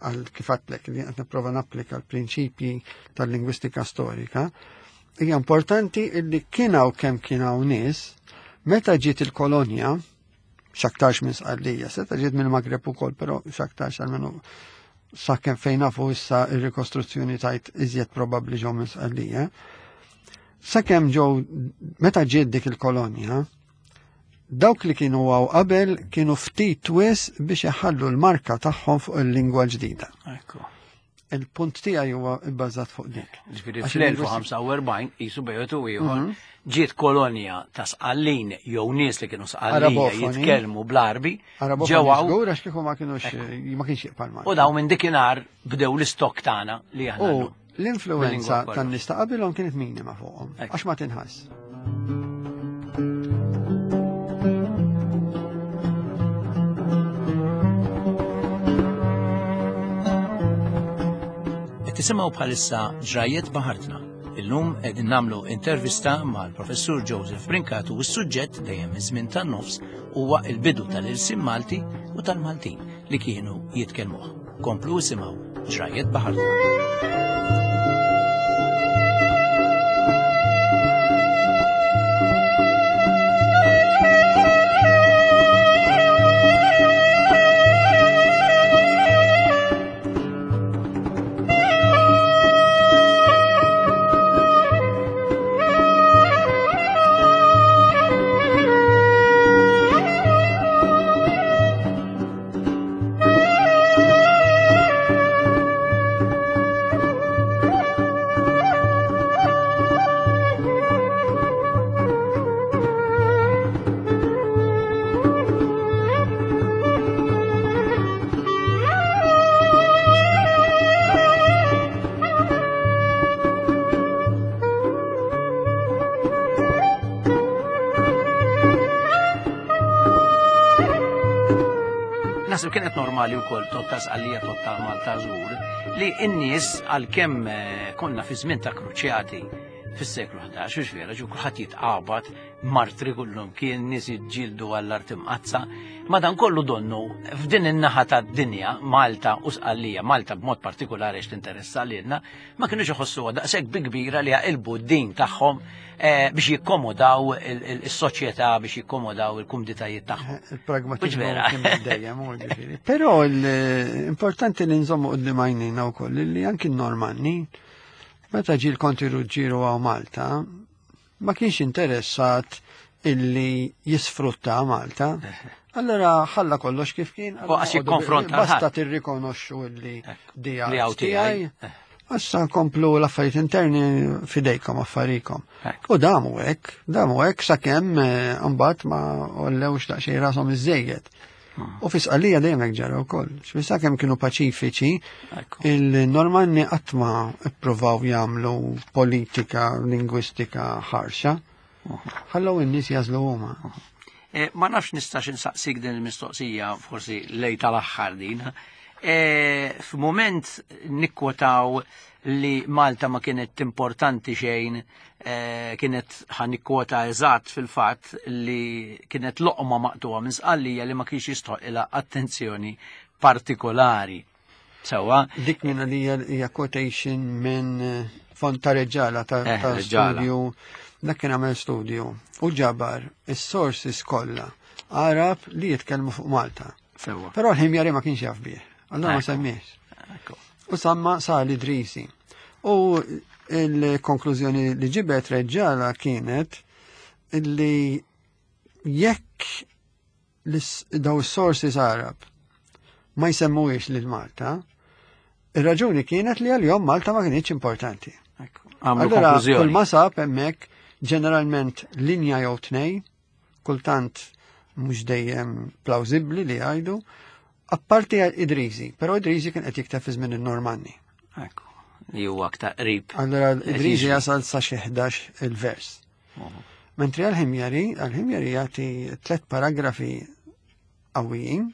għal kif għadtlek li qed nipprova napplika l-prinċipji tal-lingwistika storika, Hija importanti illi kien hawn kemm kien hawn nies, meta ġiet il-kolonja, x'aktarx minn Sqallija, seta ġiet mill-Magreb ukoll, però x'aktarx għalmenu sakemm fejn nafu issa ir-rikostruzzjoni tajt iżjed probabbli ġew minn Sqallija. Sakemm ġew meta ġiet dik il-kolonja, dawk li kienu għaw qabel kienu ftit wis biex iħallu l-marka tagħhom fuq il-lingwa ġdida. Ekku. Il-punt tiegħi huwa bbażat fuq dik. Ġifieri fl-1045 qisu bejgħet u ieħor mhm. ġiet kolonja ta' Sqallin jew nies li kienu Sqallija jitkellmu bl-Arbi. Ġew żgur għax kieku ma kienux ma kienx jibqa' U daw minn dikinhar bdew l-istok tagħna li aħna. L-influenza tan-nies ta' qabilhom kienet minima fuqhom għax ma tinħass. Qed tisimgħu bħalissa ġrajiet baħartna. Illum qegħdin nagħmlu intervista mal-Professur Joseph Brincat u s-suġġett dejjem iż-żmien tan-nofs huwa l-bidu tal-ilsien Malti u tal-Maltin li kienu jitkellmuh. Komplu isimgħu ġrajiet baħartna. Naħseb kienet normali wkoll totta Sqallija totta Malta żgur li n-nies għalkemm eh, konna fi żmien ta' kruċjati fis-seklu 11, hux vera, ġu kulħadd jitqabad, martri kullum kien nies jiġġieldu għall-art imqazza. Madan kollu donnu f'din in-naħa tad-dinja, Malta u Sqallija, Malta b'mod partikolari għax tinteressa lilna, ma kinux iħossuha daqshekk bi kbira li jaqilbu d-din tagħhom eh, biex jikkomodaw is-soċjetà biex jikkomodaw il-kumditajiet tagħhom. Eh, Il-pragmatiżmu kien dejjem u ġifieri. Però l-importanti li nżommu qudiem għajnejna wkoll li anki n-Normanni meta ġie l-Konti Ruġġieru għaw Malta ma kienx interessat illi jisfrutta Malta. Allora ħalla kollox kif kien. U għax jikkonfronta. Basta tirrikonoxxu illi dija tiegħi. Issa nkomplu l-affarijiet interni fidejkom affarikom. U damu hekk, damu hekk sakemm eh, mbagħad ma ollewx daqsxejn rashom iżejjed. U fi Sqallija dejjem hekk ġara wkoll. X'fissa kemm kienu paċifiċi, il-Normanni qatt ma ppruvaw jagħmlu politika lingwistika ħarxa. Ħallew in-nies jażlu huma. Eh, ma nafx nistax insaqsik din il-mistoqsija forsi lej tal-aħħar din. Eh, f'mument nikkwotaw li Malta ma kienet importanti xejn Eh, kienet ħan nikkwota eżatt fil-fatt li kienet loqma maqtuha minn Sqallija li ma kienx jistħoq ilha attenzjoni partikolari. Sewwa. Dik minn li hija quotation minn eh, fond ta' reġala ta' eh, studju. Dak kien għamel studju u ġabar is-sources kollha Arab li jitkellmu fuq Malta. Sewwa. Però l-ħimjari ma kienx jaf bih. Allora ma semmiex. U samma sal Idrisi. U il-konklużjoni li ġibet reġala kienet illi jekk daw sources Arab ma jsemmuhiex lil Malta, ir-raġuni kienet li għal-jom Malta ma kienx importanti. Allora, kull ma sab hemmhekk ġeneralment linja jew tnej, kultant mhux dejjem plawzibbli li jgħidu, apparti Idrisi, però Idrisi kien qed jikteb fi żmien in-Normanni. Ekku, li huwa aktar qrib. Allora Idrisi jasal sa xi 11 il-vers. Mentri għal-ħimjari, għal-ħimjari jagħti tlet paragrafi qawwijin,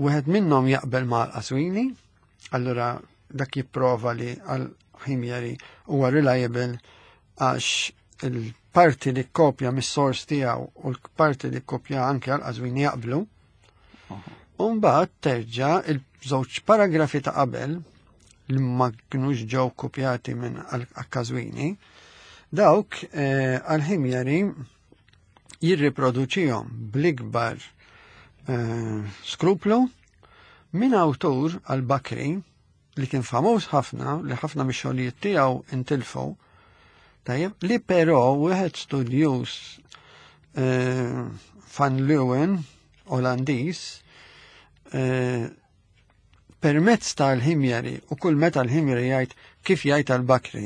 wieħed minnhom jaqbel ma' l-Qaswini, allura dak jipprova li għal-ħimjari huwa reliable għax il-parti li kopja mis-sors tiegħu u l-parti li kopja anke għal-Qaswini jaqblu. U mbagħad terġa' il-żewġ paragrafi ta' qabel li ma kinux ġew kopjati minn għal-Qaswini, dawk eh, għal-ħimjari jirriproduċihom bl-ikbar eh, skruplu minn awtur għal-Bakri li kien famuż ħafna, li ħafna mix-xogħlijiet tiegħu intilfu, tajjeb, li però wieħed studjuż eh, Van Leeuwen, Olandiż, eh, permezz tal-ħimjari u kull meta l-ħimjari jgħid kif jgħid għal-Bakri,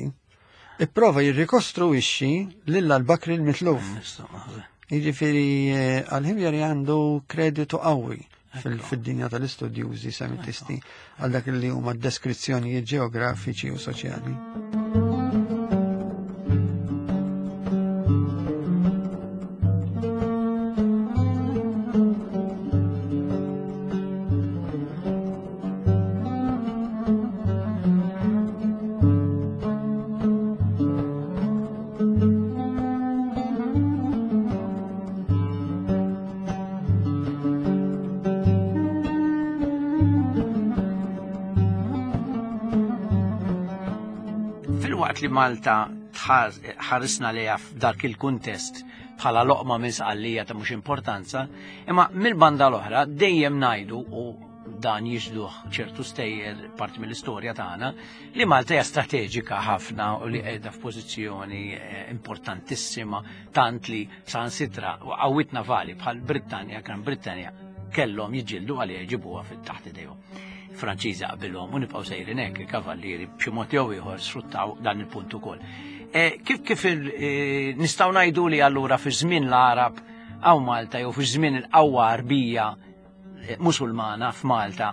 ipprova jirrikostruixxi lil al-Bakri l-mitluf. Jiġifieri eh, għal-ħimjari għandu kreditu qawwi fil-dinja tal-istudjużi semitisti għal dak li huma deskrizzjonijiet ġeografiċi u soċjali. Filwaqt li Malta ħarisna lejha f'dak il-kuntest bħala loqma minn sqallija ta' mhux importanza, imma mill-banda l-oħra dejjem ngħidu u dan jiġduh ċertu stejjer parti mill-istorja tagħna li Malta hija strateġika ħafna u li qiegħda f'pożizzjoni eh, importantissima tant li sansitra qawwiet navali bħal Brittanja, Gran Brittanja kellhom jiġġieldu għalija jġibuha fit-taħt idejhom. Franċiżi qabilhom u nibqgħu sejrin hekk il-kavallieri b'xi mod jew ieħor sfruttaw dan il-punt ukoll. Eh, kif kif eh, nistgħu ngħidu li allura fi żmien l-Arab hawn Malta jew fi żmien il-qawwa Arbija eh, Musulmana f'Malta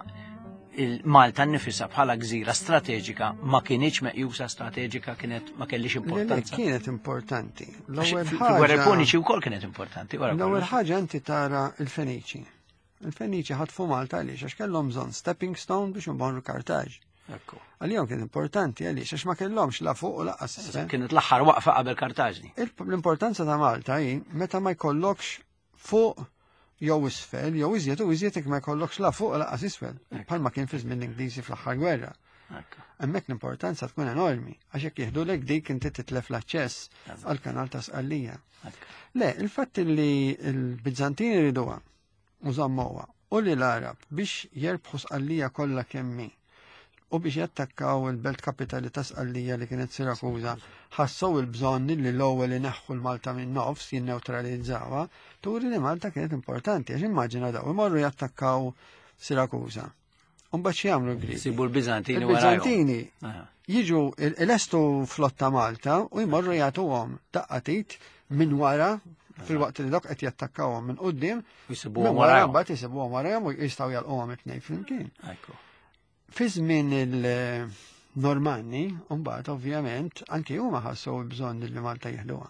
il-Malta nnifisha bħala gżira strateġika ma kienx meqjusa strateġika kienet ma kellix importanza. Kienet importanti. L-ewwel ħaġa. Gwerra Puniċi wkoll kienet importanti. L-ewwel ħaġa inti tara il-Feniċi. Il-Feniċi ħatfu Malta għaliex għax kellhom bżonn stepping stone biex imborru Kartaġ. Għalihom kien importanti għaliex għax ma kellhomx la fuq u laqqas isfel. Kienet l-aħħar waqfa qabel Kartaġni. L-importanza ta' Malta hi meta ma jkollokx fuq jew isfel, jew iżjed u iżjed jekk ma jkollokx la fuq laqas isfel, bħalma kien fi żmien l-Ingliżi fl-aħħar gwerra. Hemmhekk l-importanza tkun enormi, għax jekk jieħdulek dik inti titlef l-aċċess għall-kanal ta' Sqallija. Le, il-fatt li l-Bizzantini riduha u żammuha u li l-Arab biex jerbħu Sqallija kollha kemm hi u biex jattakkaw il-belt kapitali ta' Sqallija li kienet Sirakuża, ħassew il-bżonn li l-ewwel ineħħu l-Malta minn nofs jinnewtralizzawha, turi li Malta kienet importanti, għax immaġina daw imorru jattakkaw Sirakuża. Mbagħad x'jagħmlu l-Griegi? Sibu l-Biżantini Il-Biżantini jiġu il-estu flotta Malta u jmorru jagħtuhom daqqatit minn wara fil-waqt li dok qed jattakkawhom minn quddiem, minn wara mbagħad jisibuhom warahom u jistgħu jalquhom it-tnejn flimkien. Fi żmien il-Normanni, mbagħad ovvjament, anki huma ħassu bżonn li Malta jieħduha.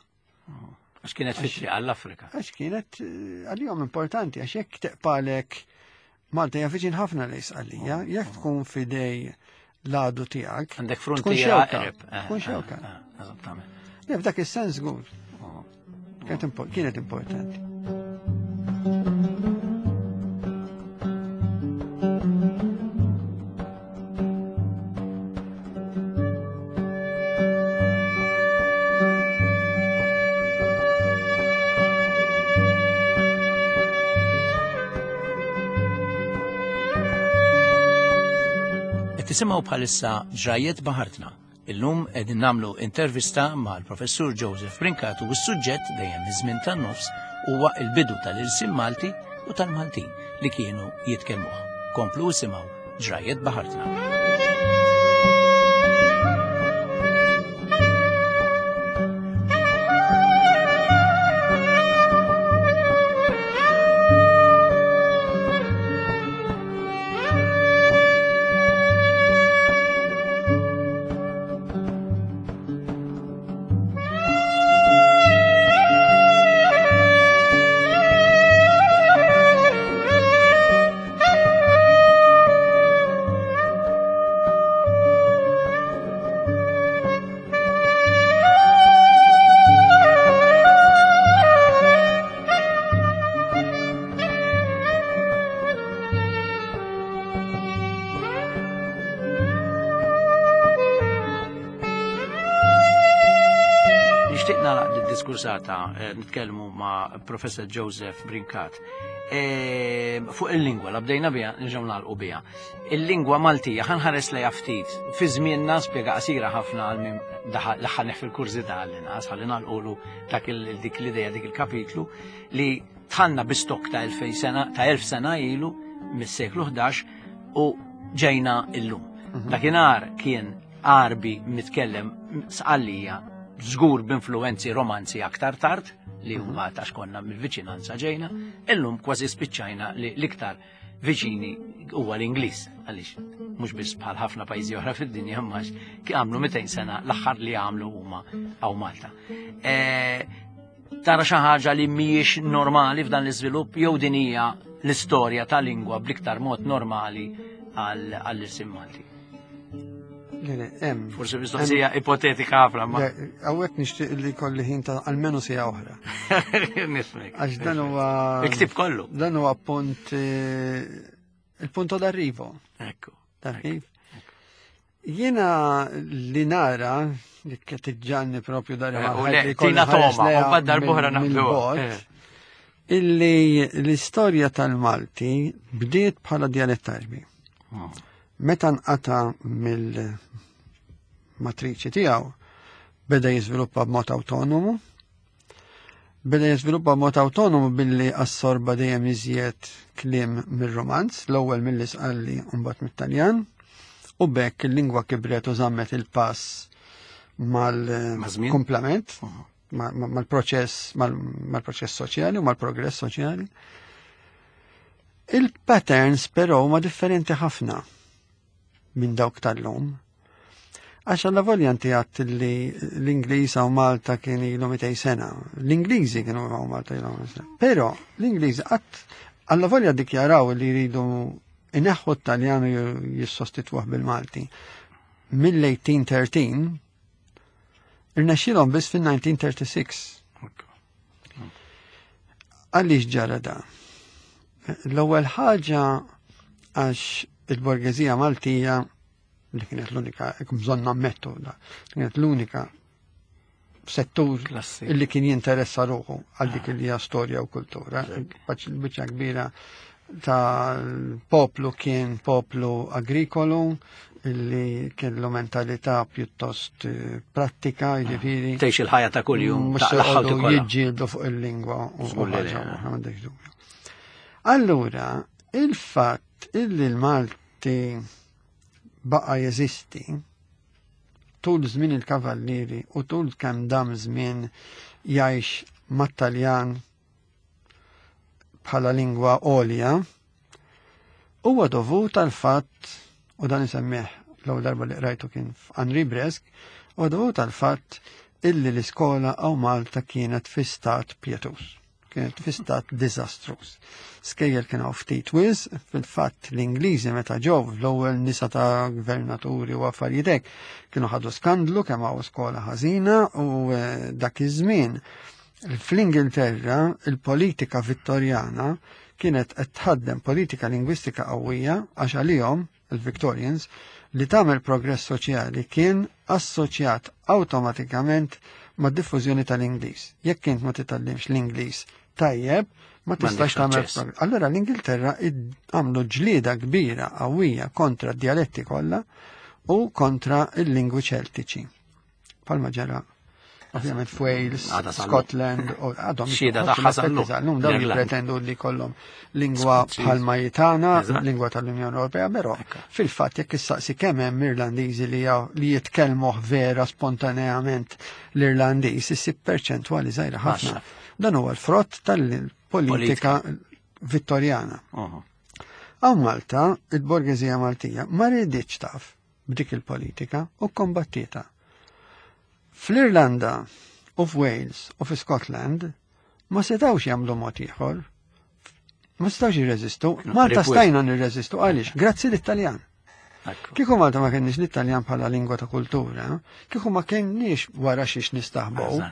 Oh, għax kienet fitri għall-Afrika. Għax kienet eh, għalihom importanti, għax jekk teqpalek Malta hija viċin ħafna lejn Sqallija, oh, jekk oh. tkun fidej l-għadu tiegħek. Għandek frontiera qrib. Eh, tkun xewka. Eh, eżattament. Le, f'dak is-sens żgur. Kienet importanti. Tisimgħu bħalissa Ġrajjiet Baħartna. Illum qegħdin nagħmlu intervista mal-Professur Joseph Brincat u s-suġġett dejjem iż-żmien tan-nofs huwa l-bidu tal-ilsien Malti u tal-Maltin li kienu jitkellmuh. Komplu isimgħu Ġrajjiet Baħartna. Nixtieq nagħlaq d-diskursata eh, nitkellmu ma' Professor Joseph Brincat. Eh, fuq il-lingwa, la bdejna biha, nirġgħu nagħlqu biha. Il-lingwa Maltija ħanħares lejha ftit. Fi żmienna spjega qasira ħafna għal min daħal fil-kurżità għall-inqas ħalli nagħlqulu dak dik l-idea dik il-kapitlu li Dħalna bi stokk ta' 2000 sena, ta' 1000 sena ilu mis-seklu 11 u ġejna illum. Mhm. Dakinhar kien Għarbi mitkellem Sqallija żgur b'influwenzi romanzi aktar tard li mhm. huma ta' xkonna mill-viċinanza ġejna, illum kważi spiċċajna li l-iktar viċini huwa l-Ingliż għaliex mhux biss bħal ħafna pajjiżi oħra fid-dinja imma għamlu 200 sena l-aħħar li għamlu huma hawn Malta. E, Tara xi ħaġa li mhijiex normali f'dan l-iżvilupp jew din hija l-istorja ta' lingwa bl-iktar mod normali għall-irsim Malti? Le, le, hemm. Forsi mistoqsija ipotetika ħafna ma. Hawnhekk nixtieq li kolli ħin ta' almenu sija oħra. Nifmek. Għax dan huwa. Iktib kollu. Dan huwa punt eh, il-punto d'arrivo. Ekku. Taf kif? Jiena li nara, li tiġġanni propju dar eh, Tina toma, u baddar buħra naħdu. Eh. Illi l-istorja tal-Malti bdiet bħala dialett arbi. Oh. Meta nqata mill-matriċi tiegħu beda jiżviluppa b'mod autonomu, Beda jiżviluppa mod awtonomu billi assorba dejjem iżjed kliem mir-Romanz, l-ewwel mill-Isqalli u mbagħad mit-Taljan, u b'hekk il-lingwa kibret u żammet il-pass mal-kumplament, mal-proċess mal-proċess soċjali u mal-progress soċjali. Il-patterns però huma differenti ħafna minn dawk tal-lum. Għax alla volja inti għadt li l-Ingliż hawn Malta kien ilu 200 sena. L-Ingliżi kienu hawn Malta ilu 200 sena. Però l-Ingliżi qatt alla volja dikjaraw li jridu ineħħu t-Taljan u jissostitwuh bil-Malti. Mill-1813 irnexxielhom biss fin-1936. Għaliex ġara da? L-ewwel ħaġa għax il-borgeżija Maltija li kienet l-unika, bżonn nammettu, da, kienet l-unika settur illi kien jinteressa ruħu għal dik li hija storja u kultura. Biċċa kbira tal-poplu kien poplu agrikolu illi kellu mentalità pjuttost eh, prattika, ah, jiġifieri. Tgħix il-ħajja ta' kuljum, mhux jiġġieldu fuq il-lingwa u ħaġa m'għandekx dubju. Allura, il-fatt illi l-Malti baqa' jeżisti tul żmien il-Kavallieri u tul kemm dam żmien jgħix mat-Taljan bħala lingwa għolja huwa dovut għal fatt u dan isemmih l-ewwel darba li qrajtu kien f'Henri Bresk, huwa dovut għal fatt illi l-iskola hawn Malta kienet fi stat pjetuż kienet fi stat diżastruż. Skejjel kien hawn ftit wis, fil-fatt l-Ingliżi meta ġew l-ewwel nisa ta' gvernaturi u affarijiet hekk kienu ħadu skandlu kemm hawn skola ħażina u eh, dak iż-żmien fl-Ingilterra il-politika Vittorjana kienet qed tħaddem politika lingwistika qawwija għax għalihom il-Victorians li tagħmel progress soċjali kien assoċjat awtomatikament mad-diffużjoni tal-Ingliż. Jekk int ma titgħallimx l-Ingliż tajjeb, ma tistax tagħmel. Allura l-Ingilterra għamlu ġlieda kbira qawwija kontra d-dialetti kollha u kontra il-lingwi ċeltiċi. Palma ġara ovvjament f'Wales, Scotland, u għadhom xhieda tagħha sal-lum. Dawn jippretendu li kollhom lingwa bħalma jitana, lingwa tal-Unjoni Ewropea, però fil-fatt jekk issaqsi kemm hemm Irlandiżi li li jitkellmuh vera spontaneament l-Irlandiż, issib perċentwali żgħira ħafna. Dan huwa l-frott tal-politika Vittorjana. Hawn Malta, il-borgeżija Maltija ma rriditx taf b'dik il-politika u kombattieta. Fl-Irlanda u f'Wales u fi Scotland ma setawx jagħmlu mod ieħor. Ma setawx jirreżistu. Malta stajna nirreżistu għaliex grazzi l-Italjan. Kieku Malta ma kenniex l-Italjan bħala lingwa ta' kultura, kieku ma kenniex wara xiex nistaħbow.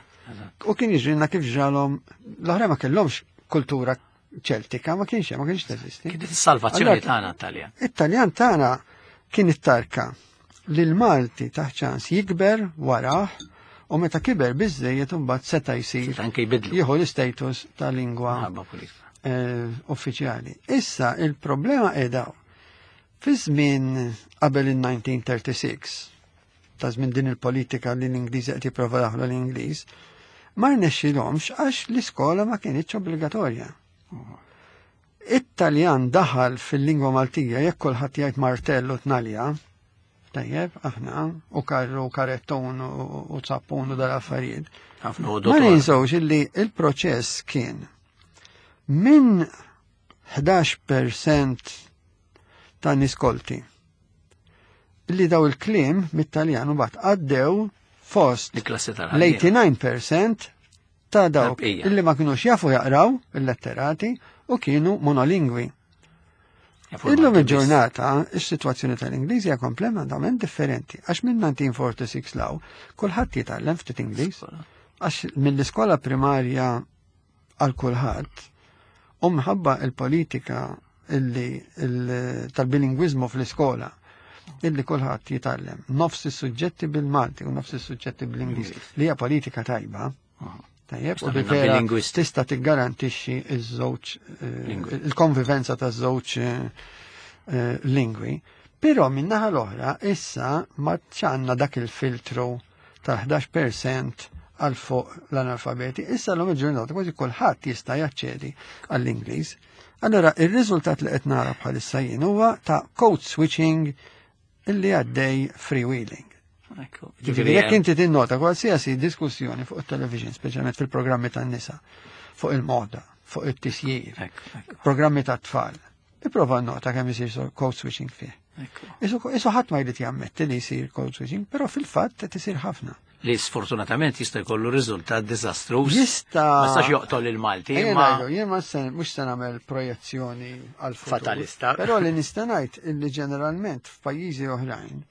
U kien jiġrilna kif ġralhom l-oħra ma kellhomx kultura ċeltika, ma kienx ma kienx teżisti. Kienet is-salvazzjoni tagħna t-Taljan. It-Taljan tagħna kien it-tarka li l-Malti taħ ċans jikber warah u meta kiber biżejjed imbagħad seta' jsir anke jbidlu. Jieħu l-istatus ta' lingwa uffiċjali. Issa il-problema qiegħda fi żmien qabel il-1936 ta' żmien din il-politika li l-Ingliż qed jipprova daħlu l-Ingliż, ma rnexxilhomx għax l-iskola ma kienitx obbligatorja. It-Taljan daħal fil-lingwa Maltija jekk kulħadd jgħid martell u tnalja, tajjeb, aħna, u karru, u karettun, u zappun u dal-affarijiet. Ma ninsewx illi il-proċess kien minn 11% ta' niskolti li daw il-kliem mit-Taljan u bat għaddew fost l-89% ta' dawk illi ma kienux jafu jaqraw il-letterati u kienu monolingwi. Illum il-ġurnata, is-sitwazzjoni tal-Ingliż hija kompletament differenti, għax minn 1946 law, kulħadd jitgħallem ftit Ingliż, għax mill-iskola primarja għal kulħadd, u mħabba il-politika illi tal-bilingwiżmu fl-iskola illi kulħadd jitgħallem nofs is-suġġetti bil-Malti u nofs is-suġġetti bl-Ingliż li hija politika tajba. Tajjeb, u li vera tista' tiggarantixxi ż-żewġ il-konvivenza taż-żewġ lingwi. Però min-naħa l-oħra issa ma ċanna dak il-filtru ta' 11% għal fuq l-analfabeti. Issa l-lum il-ġurnata kważi kulħadd jista' jaċċedi għall-Ingliż. Allora, ir-riżultat li qed nara bħalissa jien huwa ta' code switching illi għaddej freewheeling. Ġifieri jekk inti tinnota qualsiasi diskussjoni fuq it-television, speċjalment fil-programmi tan-nisa, fuq il-moda, fuq it-tisjir, programmi tat-tfal, ipprova nota kemm isir code switching fih. Isu ħadd ma jrid jammetti li jsir code switching, però fil-fatt qed isir ħafna. Li sfortunatament jista' jkollu riżultat diżastruż. Jista' ma jistax joqtol il-Malti. Ma jien ma mhux se nagħmel projezzjoni għal fatalista. Però li nista' ngħid illi ġeneralment f'pajjiżi oħrajn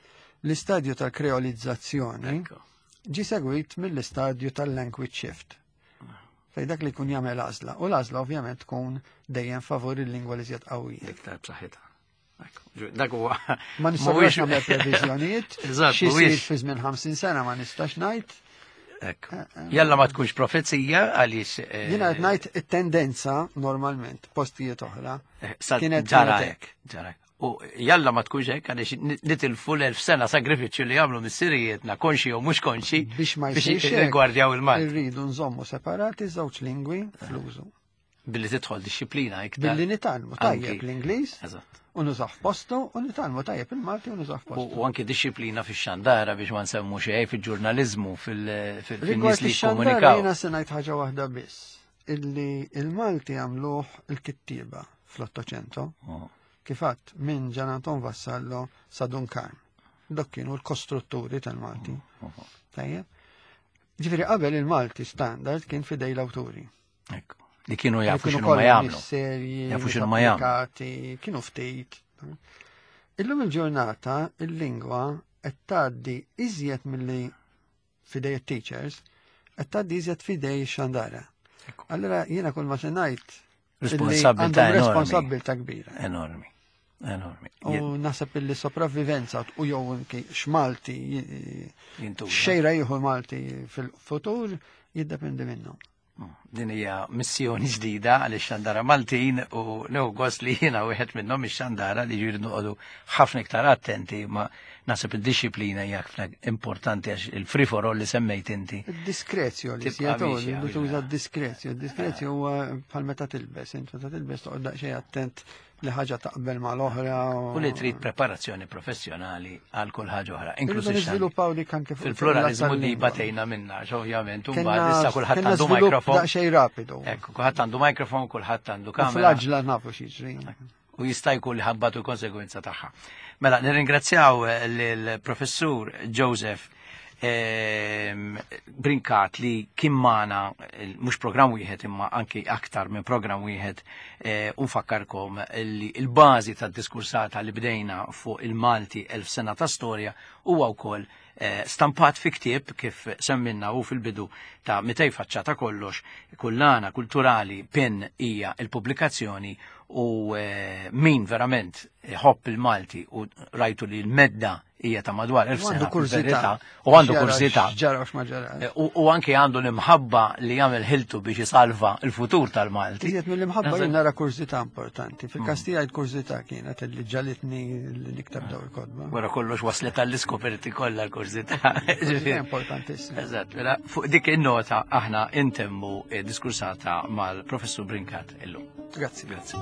l-istadju tal-kreolizzazzjoni ġi segwit mill-istadju tal-language shift. Fej dak li jkun jagħmel għażla. U l-għażla ovvjament tkun dejjem favur il-lingwa li żjed qawwija. Iktar b'saħħitha. Dak huwa. Ma nistax nagħmel previżjonijiet. Xi jsir fi żmien 50 sena ma nistax ngħid. Ekku. Jalla ma tkunx profezija għaliex. Jiena qed ngħid it-tendenza normalment postijiet oħra. Kienet ġara hekk. Ġara U jalla ma tkunx hekk għaliex nitilfu l-1000 sena sagrifiċċju li għamlu missirijietna konxi jew mhux konxi biex ma jsirx rigwardjaw il-Malti. Irridu nżommu separati żewġ lingwi fl-użu. Billi tidħol dixxiplina iktar. Billi nitgħallmu tajjeb l-Ingliż. U nużaw postu, u nitgħallmu tajjeb il-Malti u nużaw postu. U anki dixxiplina fix-xandara biex ma nsemmu xejn fil-ġurnaliżmu fil-nies li jikkomunikaw. Jiena se ngħid ħaġa waħda biss illi il-Malti għamluh il-kittieba fl-Ottocento. Kif għadt minn Gian Anton Vassallo sa Dun Karm. Dok kienu l-kostrutturi tal-Malti. Tajjeb. Ġifieri qabel il-Malti standard kien fidej l-awturi. Ekku. Li kienu jafu x'inhu ma jagħmlu. Jafu x'inhu ma jagħmlu. Kienu ftit. Illum il-ġurnata il-lingwa qed tgħaddi iżjed milli fidej it-teachers, qed tgħaddi iżjed fidej ix-xandara. Allura jiena kull ma se ngħid responsabilità responsabilità kbira. Enormi. Enormi. U naħseb illi sopravvivenza u jew anki x'Malti Jintuża. xejra jieħu Malti fil-futur jiddependi minnhom. Din hija missjoni ġdida għal xandara Maltin u nieħu gost li jiena wieħed minnhom ix-xandara li ġiri noqogħdu ħafna iktar attenti ma naħseb id-disciplina hija ħafna importanti għax il-free for all li semmejt inti. Id-diskrezjo li Tibqa' sjetu, miexja, li tuża ija. d-diskrezjo. Id-diskrezjo huwa bħal meta tilbes, int meta tilbes toqgħod daqsxejn attent li ħaġa taqbel mal-oħra. U li trid preparazzjoni professjonali għal kull ħaġa oħra, inkluż Irridu ix-xandir. niżviluppaw dik anke fuq Fil-pluralizmu di tal-lingwa. batejna minna, għax ovvjament, u Kenna- mbagħad issa kulħadd kenna għandu żvilupp mikrofon. Daqsxejn rapidu. Ekku, kulħadd għandu mikrofon, kulħadd għandu U kamera. fl-aġla nafu x'jiġri. U jista' jkun li ħabbatu l-konsegwenza tagħha. Mela, nirringrazzjaw lill-professur Joseph Brincat li kien magħna mhux programm wieħed imma anki aktar minn programm wieħed u nfakkarkom li l-bażi tad-diskursata li bdejna fuq il-Malti 1000 sena ta' storja huwa wkoll stampat fi ktieb kif semminna u fil-bidu ta' 200 faċċata kollox, kullana kulturali PIN hija il-pubblikazzjoni u min verament ħobb il-Malti u rajtu li l-medda hija ta' madwar 1000 U għandu sena kurżità. fil-verità, u għandu X'jara kurżità. X'ġara u x'ma ġara. U anke għandu l-imħabba li jagħmel ħiltu biex isalva il-futur tal-Malti. Iżjed mill-imħabba Naħseb- jien nara kurżità importanti. Fil-każ tiegħi l-kurżità kienet li ġalitni li niktab daw il-kotba. Wara kollox waslet għall-iskoperti kollha l-kurżità. Kurżità importantissima. Eżatt, mela fuq dik in-nota aħna intemmu diskursata mal-Professur Brincat illum. Grazzi. Grazzi.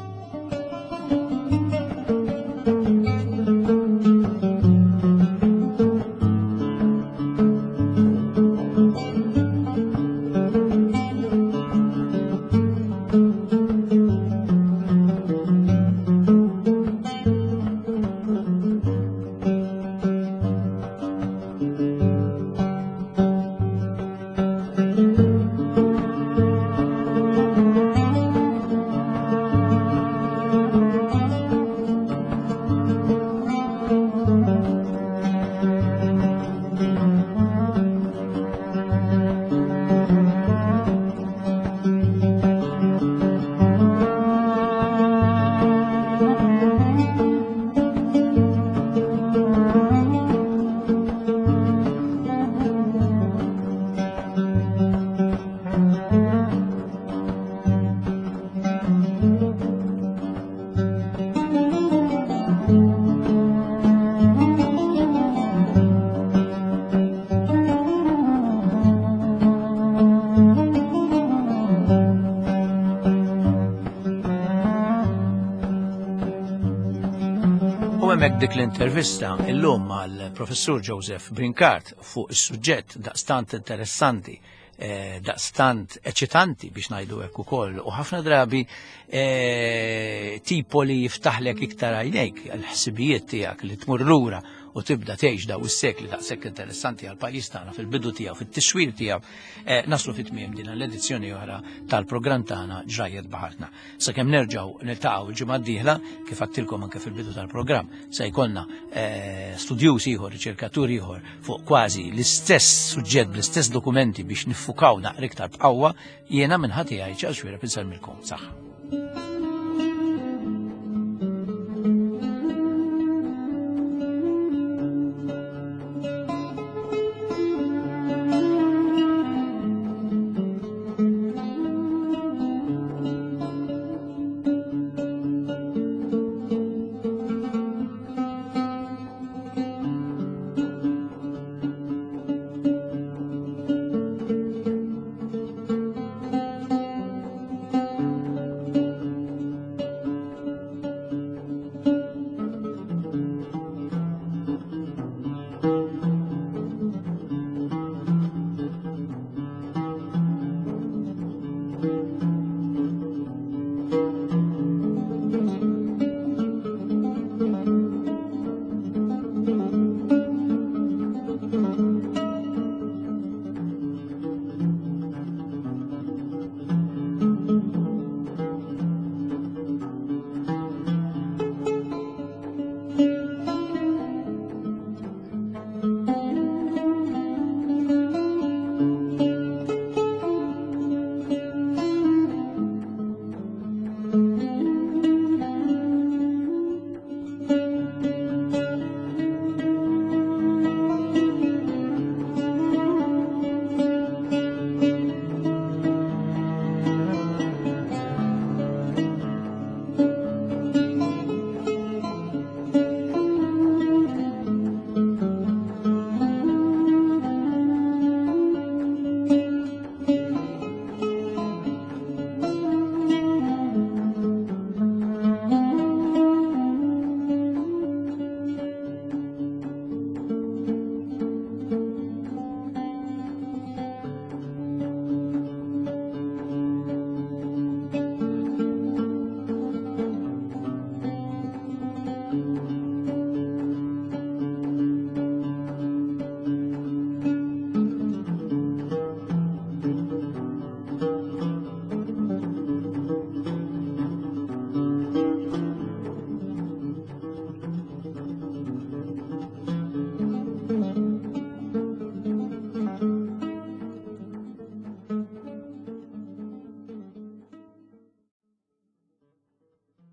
U hemmhekk dik l-intervista illum mal-professur Joseph Brincat fuq is-suġġett daqstant interessanti, daqstant eċitanti biex ngħidu hekk ukoll, u ħafna drabi tipo li jiftaħlek iktar għajnejk l-ħsibijiet tiegħek li tmur lura u tibda tgħix daw is-sekli daqshekk interessanti għal pajjiż tagħna fil-bidu tiegħu, fit-tiswir tiegħu, naslu fit-tmiem din l-edizzjoni oħra tal-programm tagħna Ġrajjet Baħartna. Sakemm nerġgħu niltaqgħu l-ġimgħa d-dieħla, kif għadtilkom anke fil-bidu tal-programm, se jkollna studjuż ieħor, riċerkatur ieħor fuq kważi l-istess suġġett bl-istess dokumenti biex niffukaw naqra iktar b'qawwa, jiena minn ħati għaj ċal xwira pinsar milkom. Saħħa.